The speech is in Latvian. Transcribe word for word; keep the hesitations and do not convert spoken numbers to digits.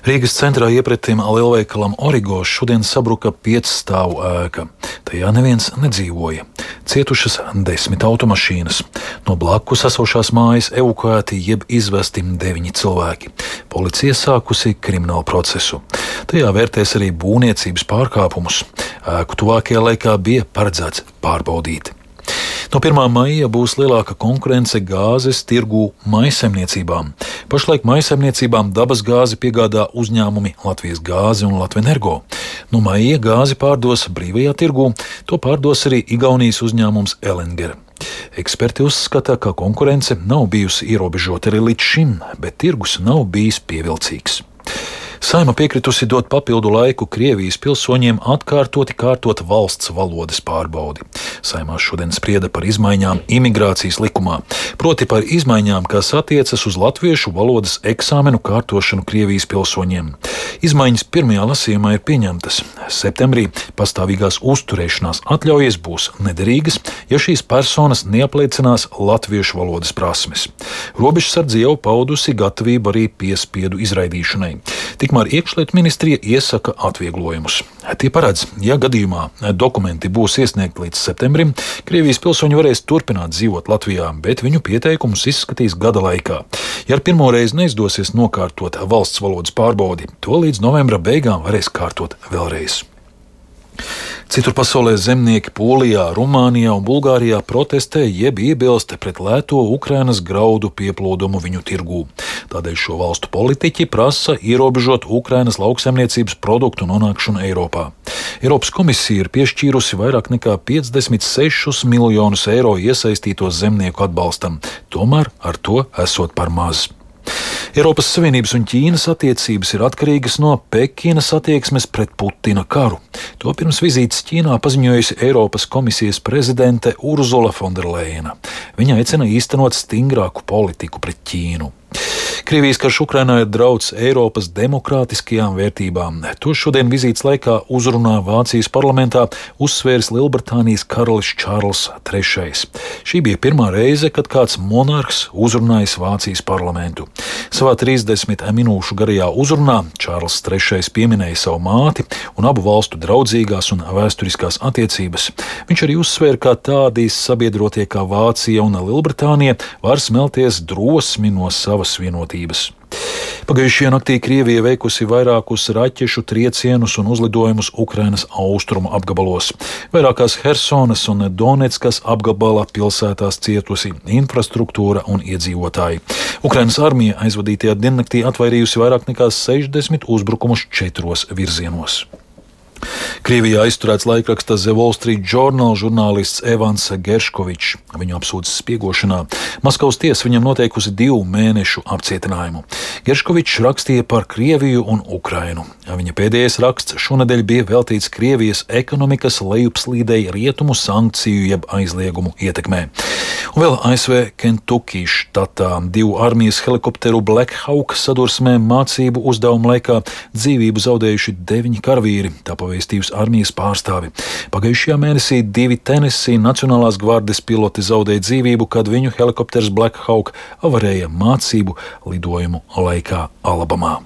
Rīgas centrā iepretim lielveikalam Origo šodien sabruka piecstāvu ēka. Tajā neviens nedzīvoja. Cietušas desmit automašīnas. No blakus esošās mājas evakuēti jeb izvesti deviņi cilvēki. Policija sākusi kriminālu procesu. Tajā vērtēs arī būvniecības pārkāpumus. Ēku tuvākajā laikā bija paredzēts pārbaudīt. No pirmā maija būs lielāka konkurence gāzes tirgū maisaimniecībām. Pašlaik maisaimniecībām dabas gāzi piegādā uzņēmumi Latvijas gāze un Latvenergo. No maija gāzi pārdos brīvajā tirgū, to pārdos arī Igaunijas uzņēmums Elenger. Eksperti uzskata, ka konkurence nav bijusi ierobežota arī līdz šim, bet tirgus nav bijis pievilcīgs. Saeima piekritusi dot papildu laiku Krievijas pilsoņiem atkārtoti kārtot valsts valodas pārbaudi. Saeimā šodien sprieda par izmaiņām imigrācijas likumā, proti par izmaiņām, kas attiecas uz latviešu valodas eksāmenu kārtošanu Krievijas pilsoņiem. Izmaiņas pirmajā lasījumā ir pieņemtas. Septembrī pastāvīgās uzturēšanās atļaujas būs nederīgas, ja šīs personas neapliecinās latviešu valodas prasmes. Robežsardze jau paudusi gatavību arī piespiedu izraidīšanai. Tikmēr iekšlietu ministrija iesaka atvieglojumus. Tie paredz, ja gadījumā dokumenti būs iesniegti līdz septembrim, Krievijas pilsoņi varēs turpināt dzīvot Latvijā, bet viņu pieteikumus izskatīs gada laikā. Ja ar pirmo reizi neizdosies nokārtot valsts valodas pārbaudi, to līdz novembra beigām varēs kārtot vēlreiz. Citur pasaulē zemnieki Polijā, Rumānijā un Bulgārijā protestē jeb iebilst pret lēto Ukrainas graudu pieplūdumu viņu tirgū. Tādēļ šo valstu politiķi prasa ierobežot Ukrainas lauksaimniecības produktu nonākšanu Eiropā. Eiropas komisija ir piešķīrusi vairāk nekā piecdesmit sešus miljonus eiro iesaistīto zemnieku atbalstam, tomēr ar to esot par maz. Eiropas Savienības un Ķīnas attiecības ir atkarīgas no Pekinas attieksmes pret Putina karu. To pirms vizītes Ķīnā paziņojusi Eiropas komisijas prezidente Urzula Fonderleina. Viņa aicina īstenot stingrāku politiku pret Ķīnu. Krievijas karš Ukrainā ir drauds Eiropas demokrātiskajām vērtībām. To šodien vizītes laikā uzrunā Vācijas parlamentā uzsvēris Lielbritānijas karalis Čārls trešais. Šī bija pirmā reize, kad kāds monarhs uzrunājis Vācijas parlamentu. Savā trīsdesmit minūšu garajā uzrunā Čārls trešais pieminēja savu māti un abu valstu draudzīgās un vēsturiskās attiecības. Viņš arī uzsvēra, ka tādi sabiedrotie kā Vācija un Lielbritānija var smelties drosmi no savas vienotības. Pagājušajā naktī Krievija veikusi vairākus raķešu triecienus un uzlidojumus Ukrainas austrumu apgabalos. Vairākās Hersonas un Donetskas apgabala pilsētās cietusi infrastruktūra un iedzīvotāji. Ukrainas armija aizvadītajā diennaktī atvairījusi vairāk nekā sešdesmit uzbrukumus četros virzienos. Krievijā aizturēts laikraksta The Wall Street Journal žurnālists Evans Gerškovičs. Viņu apsūdzas spiegošanā. Maskavas tiesa viņam noteikusi divu mēnešu apcietinājumu. Gerškovičs rakstīja par Krieviju un Ukrainu. Viņa pēdējais raksts šonedēļ bija veltīts Krievijas ekonomikas lejupslīdei rietumu sankciju jeb aizliegumu ietekmē. Un vēl A S V Kentucky štatā divu armijas helikopteru Black Hawk sadursmē mācību uzdevumu laikā dzīvību zaudējuši deviņi karavīri. Tā pavēstījus armijas pārstāvi. Pagājušajā mēnesī divi Tennessee Nacionālās gvardes piloti zaudēja dzīvību, kad viņu helikopters Black Hawk avarēja mācību lidojumu laikā Alabamā.